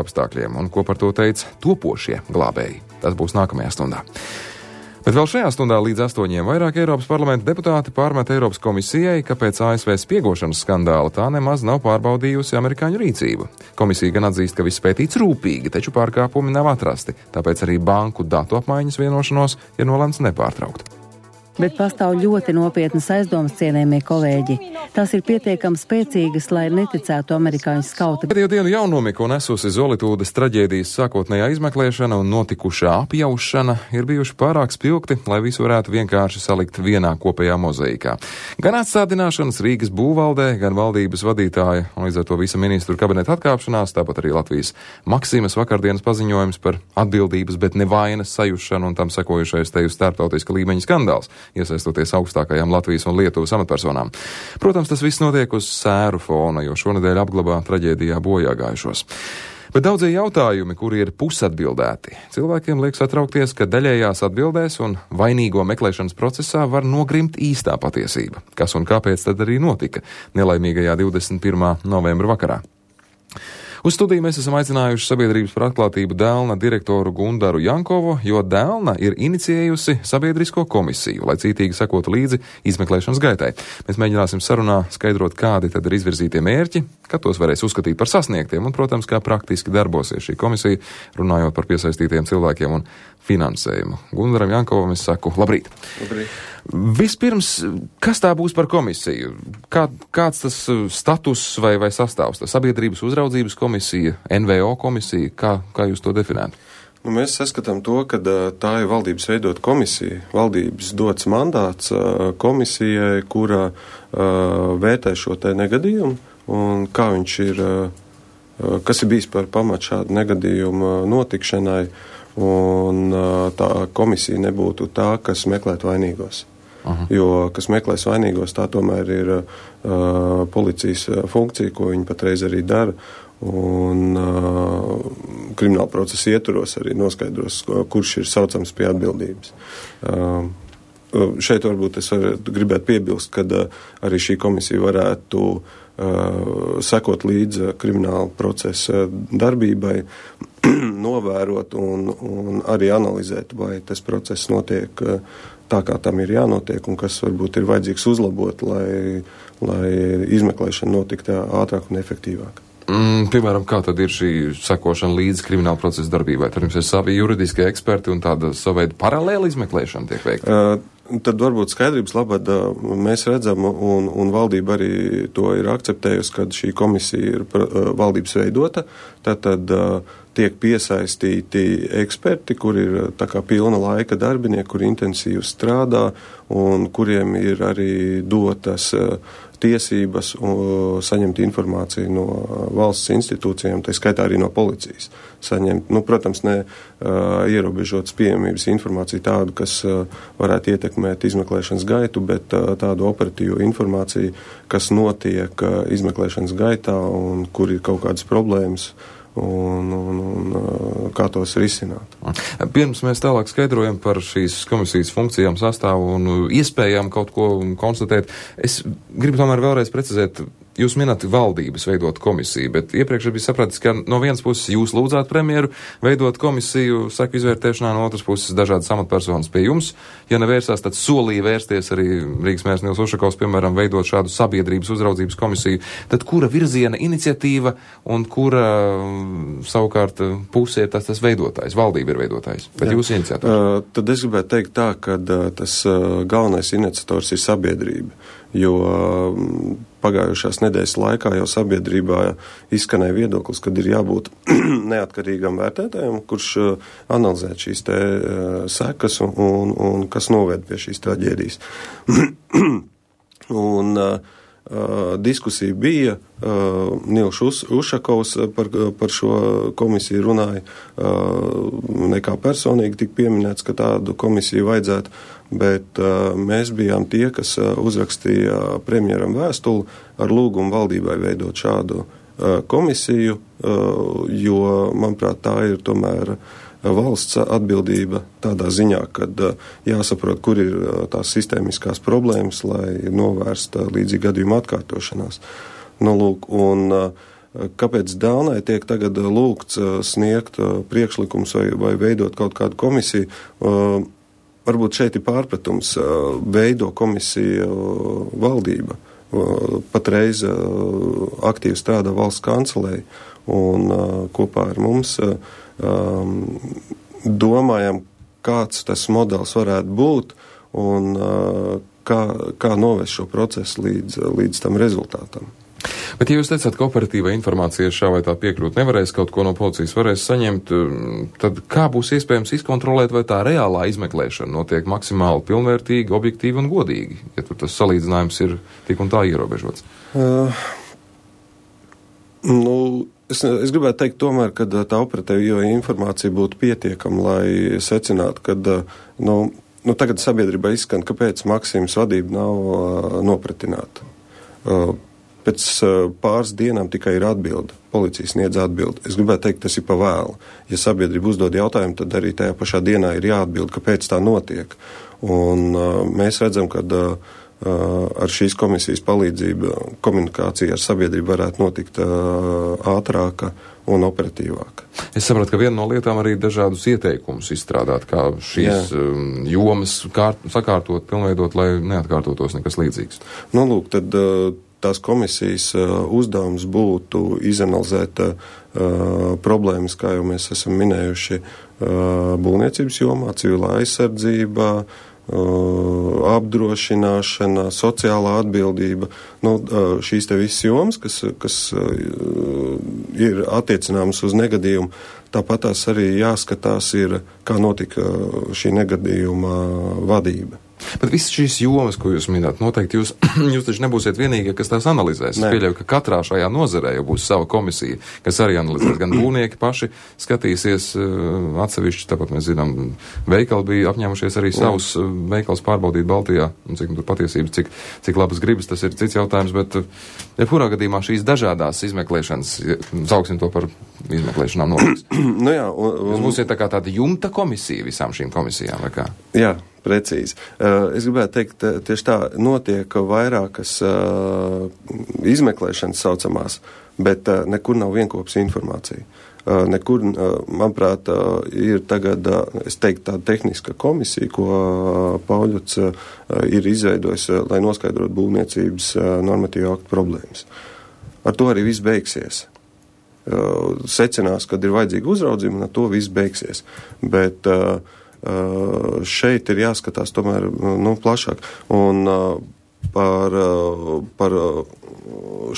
apstākļiem un ko par to teica topošie glābēji. Tas būs nākamajā stundā. Bet vēl šajā stundā līdz 8 vairāk Eiropas parlamenta deputāti pārmet Eiropas komisijai, ka pēc ASV spiegošanas skandāla tā nemaz nav pārbaudījusi amerikāņu rīcību. Komisija gan atzīst, ka viss pētīts rūpīgi, taču pārkāpumi nav atrasti, tāpēc arī banku datu apmaiņas vienošanos ir nolemts nepārtraukt. Bet pastāv ļoti nopietnas aizdomas, cienējamie kolēģi. Tās ir pietiekami spēcīgas, lai neticētu amerikāņu skauti. Pēdējo dienu jaunomiku nesusi Zolitūdes traģēdijas sākotnējā izmeklēšana un notikušā apjaušana ir bijuši pārāk spilgti, lai visu varētu vienkārši salikt vienā kopējā mozaīkā. Gan atstādināšanas Rīgas būvvaldē, gan valdības vadītāja un līdz ar to visa ministru kabineta atkāpšanās, tāpat arī Latvijas Maksimas vakardienas paziņojums par atbildības, bet nevainas sajušanu un tam sekojušais te uz starptautiska līmeņa skandāls, iesaistoties augstākajām Latvijas un Lietuvas amatpersonām. Protams, tas viss notiek uz sēru fona, jo šonedēļ apglabā traģēdijā bojāgājušos. Bet daudzie jautājumi, kuri ir pusatbildēti, cilvēkiem liek satraukties, ka daļējās atbildēs un vainīgo meklēšanas procesā var nogrimt īstā patiesība. Kas un kāpēc tad arī notika nelaimīgajā 21. novembra vakarā. Uz studiju mēs esam aicinājuši Sabiedrības par atklātību Delna direktoru Gundaru Jankovu, jo Delna ir inicijējusi sabiedrisko komisiju, lai cītīgi sekotu līdzi izmeklēšanas gaitai. Mēs mēģināsim sarunā skaidrot, kādi tad ir izvirzītie mērķi, kad tos varēs uzskatīt par sasniegtiem un, protams, kā praktiski darbosies šī komisija, runājot par piesaistītiem cilvēkiem un finansējumu. Gundaram Jankovam es saku labrīt. Labrīt. Vispirms, kas tā būs par komisiju? Kāds tas status vai sastāvs? Tā sabiedrības uzraudzības komisija, NVO komisija, kā jūs to definētu? Mēs saskatām to, ka tā ir valdības veidot komisija. Valdības dots mandāts komisijai, kura vērtē šo te negadījumu un kā viņš ir, kas ir bijis par pamatu šādu negadījumu notikšanai, un tā komisija nebūtu tā, kas meklētu vainīgos. Aha. Jo, kas meklēs vainīgos, tā tomēr ir policijas funkcija, ko viņi patreiz arī dara, un krimināla procesa ietvaros arī noskaidros, kurš ir saucams pie atbildības. Šeit varbūt es gribētu piebilst, ka arī šī komisija varētu sekot līdz krimināla procesa darbībai, novērot un arī analizēt, vai tas process notiek tā, kā tam ir jānotiek, un kas varbūt ir vajadzīgs uzlabot, lai izmeklēšana notiktu ātrāk un efektīvāk. Piemēram, kā tad ir šī sekošana līdz krimināla procesa darbībai? Tad jums ir savi juridiskie eksperti un tāda savaida paralēla izmeklēšana tiek veikta? Tad varbūt skaidrības labad mēs redzam, un valdība arī to ir akceptējusi, kad šī komisija ir valdības veidota, tad tiek piesaistīti eksperti, kuri ir tā kā pilna laika darbinieki, kuri intensīvi strādā un kuriem ir arī dotas tiesības saņemt informāciju no valsts institūcijām, tā skaitā arī no policijas. Saņemt, protams, ne ierobežotas pieejamības informāciju tādu, kas varētu ietekmēt izmeklēšanas gaitu, bet tādu operatīvu informāciju, kas notiek izmeklēšanas gaitā un kur ir kaut kādas problēmas un kā tos risināt. Pirms mēs tālāk skaidrojam par šīs komisijas funkcijām, sastāvu un iespējām kaut ko konstatēt, es gribu tomēr vēlreiz precizēt. Jūs minat valdības veidot komisiju, bet iepriekš bija sapratis, ka no vienas puses jūs lūdzāt premjeru veidot komisiju seku izvērtēšanā, no otras puses dažādas amatpersonas pie jums. Ja nevērsās, tad solīja vērsties arī Rīgas mērs Nils Ušakovs, piemēram, veidot šādu sabiedrības uzraudzības komisiju. Tad kura virziena iniciatīva un kura savukārt pusē ir tas veidotājs, valdība ir veidotājs, bet jūs iniciators? Tad es gribētu teikt tā, ka tas galvenais iniciators ir sabiedrība, jo pagājušās nedēļas laikā jau sabiedrībā izskanēja viedoklis, kad ir jābūt neatkarīgam vērtētājam, kurš analizē šīs te sekas un kas noved pie šīs traģēdijas. Un diskusija bija, Nils Ušakovs par šo komisiju runāja, nekā personīgi tika pieminēts, ka tādu komisiju vajadzētu, bet mēs bijām tie, kas uzrakstīja premjeram vēstuli ar lūgumu valdībai veidot šādu komisiju, jo, manuprāt, tā ir tomēr valsts atbildība tādā ziņā, kad jāsaprot, kur ir tās sistēmiskās problēmas, lai novērst līdzīgi gadījumu atkārtošanās. Un kāpēc Dānai tiek tagad lūgts sniegt priekšlikums vai veidot kaut kādu komisiju. Varbūt šeit ir pārpratums. Veido komisiju valdība. Patreiz aktīvi strādā valsts kancelei un kopā ar mums domājam, kāds tas modelis varētu būt un kā novest šo procesu līdz tam rezultātam. Bet, ja jūs teicāt, ka operatīvā informācija šā vai tā piekļūt nevarēs, kaut ko no policijas varēs saņemt, tad kā būs iespējams izkontrolēt, vai tā reālā izmeklēšana notiek maksimāli pilnvērtīgi, objektīvi un godīgi, ja tur tas salīdzinājums ir tik un tā ierobežots? Es gribētu teikt tomēr, ka tā operatīva informācija būtu pietiekama, lai secinātu, ka tagad sabiedrībā izskan, kāpēc Maksimas vadība nav nopratināta. Pēc pāris dienām tikai ir atbilde. Policija sniedz atbildi. Es gribētu teikt, tas ir pa vēlu. Ja sabiedrība uzdod jautājumu, tad arī tajā pašā dienā ir jāatbild, kāpēc tā notiek. Un mēs redzam, ka ar šīs komisijas palīdzību komunikācija ar sabiedrību varētu notikt ātrāka un operatīvāka. Es sapratu, ka viena no lietām arī dažādus ieteikumus izstrādāt, kā šīs jomas sakārtot, pilnveidot, lai neatkārtotos nekas līdzīgs. Lūk, tad tās komisijas uzdevums būtu izanalizēt problēmas, kā jau mēs esam minējuši, būvniecības jomā, civilā aizsardzība, apdrošināšana, sociālā atbildība, šīs te visas jomas, kas ir attiecināmas uz negadījumu, tāpat tās arī jāskatās ir, kā notika šī negadījuma vadība. Bet visas šīs jomas, ko jūs minēt, noteikti jūs taču nebūsiet vienīgie, kas tās analizēs. Es pieļauju, ka katrā šajā nozarē jau būs sava komisija, kas arī analizēs. Gan būvnieki paši skatīsies atsevišķi, tāpat mēs zinām, veikali bija apņēmušies arī savus veikals pārbaudīt Baltijā, un cik tur patiesības, cik labas gribas, tas ir cits jautājums, bet jebkurā gadījumā šīs dažādās izmeklēšanas, sauksim to par izmeklēšanām notiks. Jūs būsiet tā kā tāda jumta komisija visām šīm komisijām, vai kā? Jā. Precīzi. Es gribētu teikt, tieši tā notiek vairākas izmeklēšanas saucamās, bet nekur nav vienkopas informācija. Nekur, manuprāt, ir tagad, es teiktu, tāda tehniska komisija, ko Pauļuts ir izveidojis, lai noskaidrotu būvniecības normatīvu aktu problēmas. Ar to arī viss beigsies. Secinās, kad ir vajadzīga uzraudzība, un ar to viss beigsies. Bet šeit ir jāskatās tomēr plašāk. Un par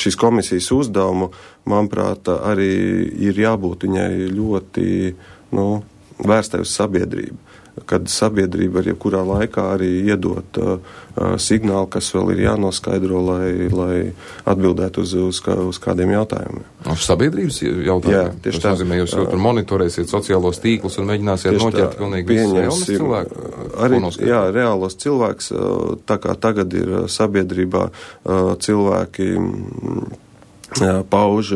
šīs komisijas uzdevumu, manuprāt, arī ir jābūt viņai ļoti vērstai uz sabiedrību. Kad sabiedrība ar jebkurā laikā arī iedot signālu, kas vēl ir jānoskaidro, lai atbildētu uz kādiem jautājumiem. Uz sabiedrības jautājumiem? Jā, tieši tā. Tas nozīmē, jūs tur monitorēsiet sociālos tīklus un mēģināsiet noķert pilnīgi visus jaunas cilvēku? Arī, jā, reālos cilvēks, tā kā tagad ir sabiedrībā cilvēki pauž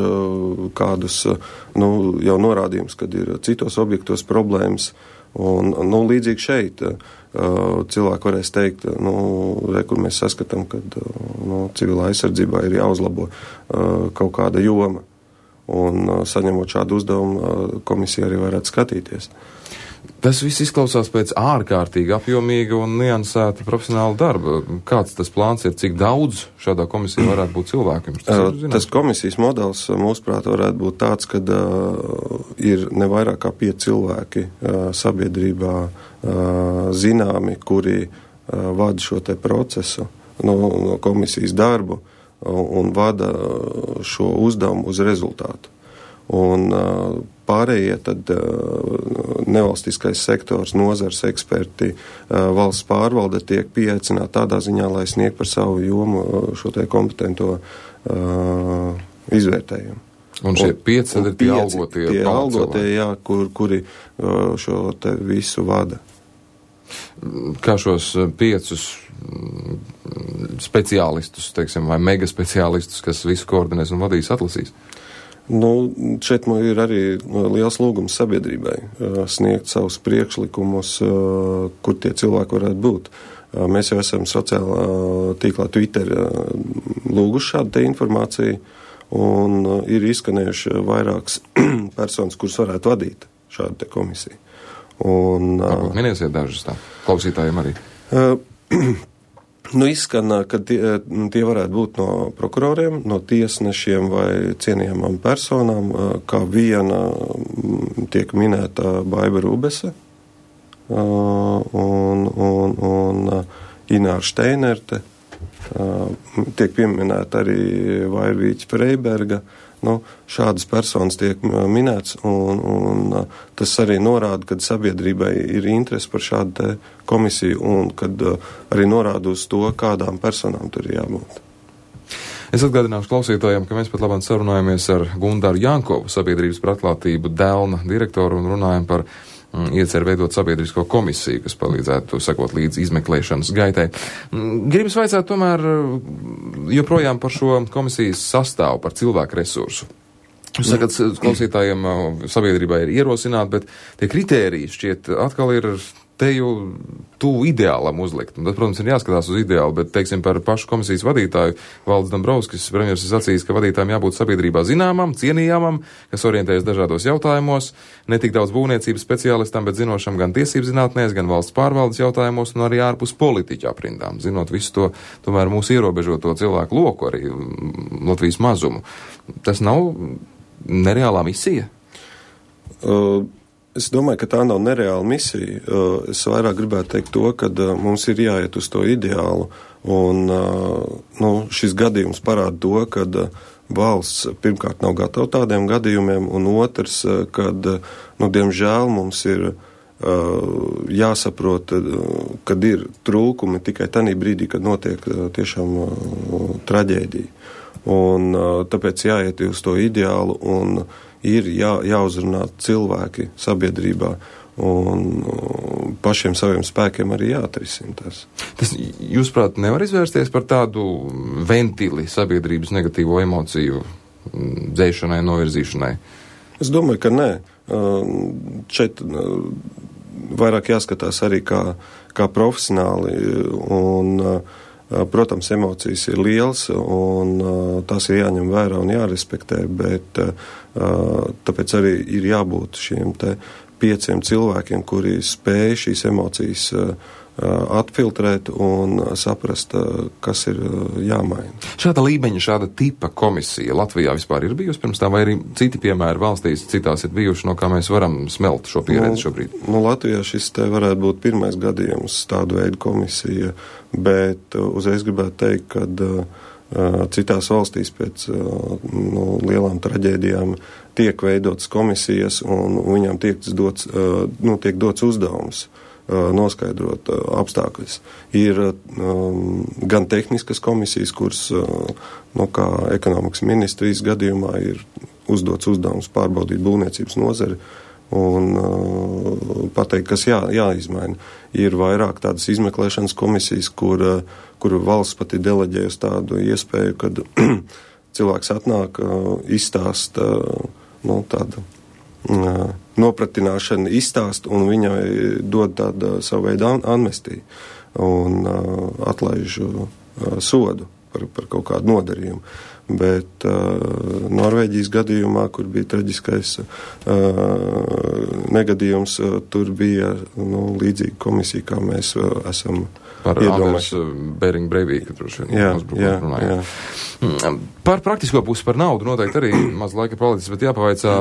kādus jau norādījumus, kad ir citos objektos problēmas. Un līdzīgi šeit cilvēki varēs teikt, kur mēs saskatām, ka civilā aizsardzībā ir jāuzlabo kaut kāda joma. Un saņemot šādu uzdevumu, komisija arī varētu skatīties. Tas viss izklausās pēc ārkārtīgi apjomīga un niansēta profesionāla darba. Kāds tas plāns ir, cik daudz šādā komisijā varētu būt cilvēkiem? Tas komisijas modelis, mūsuprāt, varētu būt tāds, kad ir ne vairāk kā 5 cilvēki sabiedrībā zināmi, kuri vada šo te procesu, no komisijas darbu un vada šo uzdevumu uz rezultātu. Un pārējie tad nevalstiskais sektors, nozars eksperti, valsts pārvalde tiek pieaicināti tādā ziņā, lai sniegtu par savu jomu šo te kompetento izvērtējumu. Un šie 5 ir tie algotie? Tie algotie, jā, kuri šo te visu vada. Kā šos 5 speciālistus, teiksim, vai mega speciālistus, kas visu koordinēs un vadīs, atlasīs? Šeit ir arī liels lūgums sabiedrībai sniegt savus priekšlikumus, kur tie cilvēki varētu būt. Mēs jau esam sociālā tīklā Twitter lūguši šādu te informāciju, un ir izskanējuši vairākas personas, kuras varētu vadīt šādu te komisiju. Varbūt minēsiet dažas tā, klausītājiem arī. Izskan, ka tie varētu būt no prokuroriem, no tiesnešiem vai cienījamām personām, kā viena tiek minēta Baiba Rubese un Ināra Šteinerte, tiek pieminēta arī Vairvīķa Freiberga. Šādas personas tiek minēts, un tas arī norāda, ka sabiedrībai ir interesi par šādu te komisiju, un kad arī norāda uz to, kādām personām tur ir jābūt. Es atgādināšu klausītājiem, ka mēs pat labāk sarunājamies ar Gundaru Jankovu, Sabiedrības par atklātību Delna direktoru, un runājam par iecer veidot sabiedrisko komisiju, kas palīdzētu sekot līdz izmeklēšanas gaitai. Gribas vaicāt tomēr joprojām par šo komisijas sastāvu, par cilvēku resursu. Jūs sakat, klausītājiem sabiedrībā ir ierosināti, bet tie kritēriji šķiet atkal ir te jau tuvu ideālam uzlikt. Un tad, protams, ir jāskatās uz ideālu, bet, teiksim, par pašu komisijas vadītāju Valdis Dombrovskis, premjers, ir sacījis, ka vadītājiem jābūt sabiedrībā zināmam, cienījamam, kas orientējas dažādos jautājumos, ne tik daudz būvniecības speciālistam, bet zinošam gan tiesību zinātnēs, gan valsts pārvaldes jautājumos un arī ārpus politiķu aprindām. Zinot visu to, tomēr mūsu ierobežoto cilvēku loku, arī Latvijas mazumu. Tas nav nereālā misija? Es domāju, ka tā nav nereāla misija. Es vairāk gribētu teikt to, ka mums ir jāiet uz to ideālu, un šis gadījums parāda to, ka valsts pirmkārt nav gatava tādiem gadījumiem, un otrs, kad, diemžēl mums ir jāsaprot, kad ir trūkumi tikai tanī brīdī, kad notiek tiešām traģēdija. Un tāpēc jāiet uz to ideālu, un ir jāuzrunā cilvēki sabiedrībā, un pašiem saviem spēkiem arī jāatrisina tas. Tas, jūsuprāt, nevar izvērsties par tādu ventili sabiedrības negatīvo emociju dzēšanai, novirzīšanai? Es domāju, ka nē. Šeit vairāk jāskatās arī kā profesionāli, un protams, emocijas ir liels, un tās ir jāņem vērā un jārespektē, bet tāpēc arī ir jābūt šiem te 5 cilvēkiem, kuri spēj šīs emocijas atfiltrēt un saprast, kas ir jāmaina. Šāda līmeņa, šāda tipa komisija Latvijā vispār ir bijusi pirms tā, vai arī citi piemēri valstīs citās ir bijuši, no kā mēs varam smelt šo pieredzi šobrīd? Latvijā šis te varētu būt pirmais gadījums tādu veidu komisija, bet uzreiz gribētu teikt, ka citās valstīs pēc lielām traģēdijām tiek veidotas komisijas, un viņām tiek dots uzdevums noskaidrot apstākļus. Ir gan tehniskas komisijas, kuras, kā ekonomikas ministrijas gadījumā, ir uzdots uzdevums pārbaudīt būvniecības nozari un pateikt, kas jāizmaina. Ir vairāk tādas izmeklēšanas komisijas, kur valsts pat ir deleģējusi tādu iespēju, kad cilvēks atnāk, izstāst tādu nopratināšana izstāst, un viņai dod tādu savu veidu amnestiju un atlaiž sodu par kaut kādu nodarījumu. Bet Norvēģijas gadījumā, kur bija traģiskais negadījums, tur bija līdzīga komisija, kā mēs esam par Anders Bering Breivika runājām. Par praktisko pusi, par naudu noteikti arī maz laika palicis, bet jāpavaicā,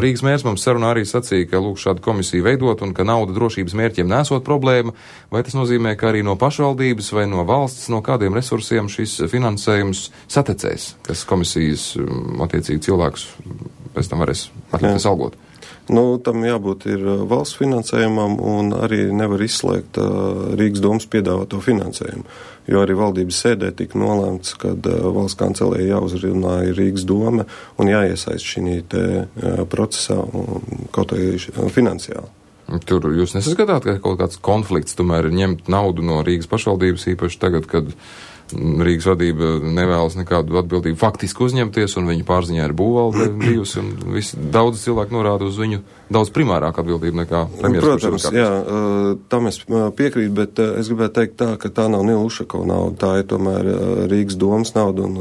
Rīgas mērs mums sarunā arī sacīja, ka lūk šādu komisiju veidot un ka nauda drošības mērķiem nesot problēma, vai tas nozīmē, ka arī no pašvaldības vai no valsts, no kādiem resursiem šis finansējums satecēs, kas komisijas attiecīgi cilvēkus pēc tam varēs atļauties algot? Tam jābūt ir valsts finansējumam, un arī nevar izslēgt Rīgas domas piedāvāto finansējumu, jo arī valdības sēdē tika nolēmts, kad valsts kancelēja jāuzrunā Rīgas doma un jāiesaist šī te procesā un kaut arī finansiāli. Tur jūs nesaskatāt, ka kaut kāds konflikts tomēr ir ņemt naudu no Rīgas pašvaldības, īpaši tagad, kad Rīgas vadība nevēlas nekādu atbildību faktiski uzņemties, un viņu pārziņā ir būvvalde bijusi, un daudz cilvēku norāda uz viņu daudz primārāku atbildību nekā premjeras. Protams, jā, tam es piekrītu, bet es gribētu teikt tā, ka tā nav Nila Ušakova nauda, tā ir tomēr Rīgas domas nauda un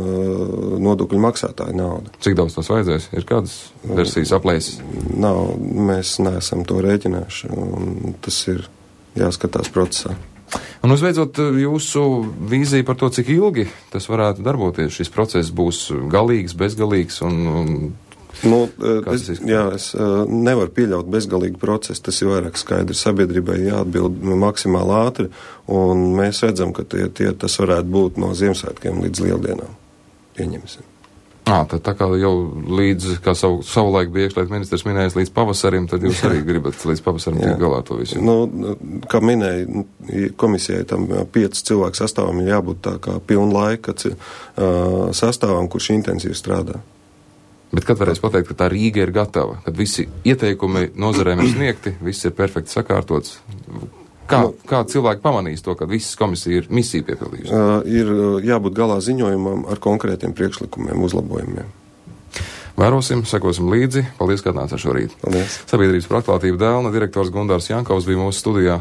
nodokļu maksātāja nauda. Cik daudz tas vajadzēs? Ir kādas versijas aplēses? Nav, mēs neesam to rēķinājuši, un tas ir jāskatās procesā. Un uzbeidzot jūsu vīziju par to, cik ilgi tas varētu darboties, šis process būs galīgs, bezgalīgs un es nevaru pieļaut bezgalīgu procesu, tas ir vairāk skaidrs, sabiedrībai jāatbild maksimāli ātri, un mēs redzam, ka tas varētu būt no Ziemassvētkiem līdz Lieldienām. Pieņemsim. Tad tā kā jau līdz, kā savulaik bija iekšlietu ministrs minējis, līdz pavasarim, tad jūs arī gribat līdz pavasarim tikt galā to visu. Kā minēja, komisijai tam 5 cilvēku sastāvam ir jābūt tā kā pilna laika sastāvam, kurš intensīvi strādā. Bet kad varēs pateikt, ka tā Rīga ir gatava, kad visi ieteikumi nozarēm ir sniegti, viss ir perfekti sakārtots? Kā cilvēki pamanīs to, ka visas komisija ir misiju piepildījusi? Ir jābūt galā ziņojumam ar konkrētiem priekšlikumiem, uzlabojumiem. Vērosim, sekosim līdzi. Paldies, ka atnācāt šorīt. Paldies. Sabiedrības par atklātību dēlna direktors Gundārs Jankovs bija mūsu studijā.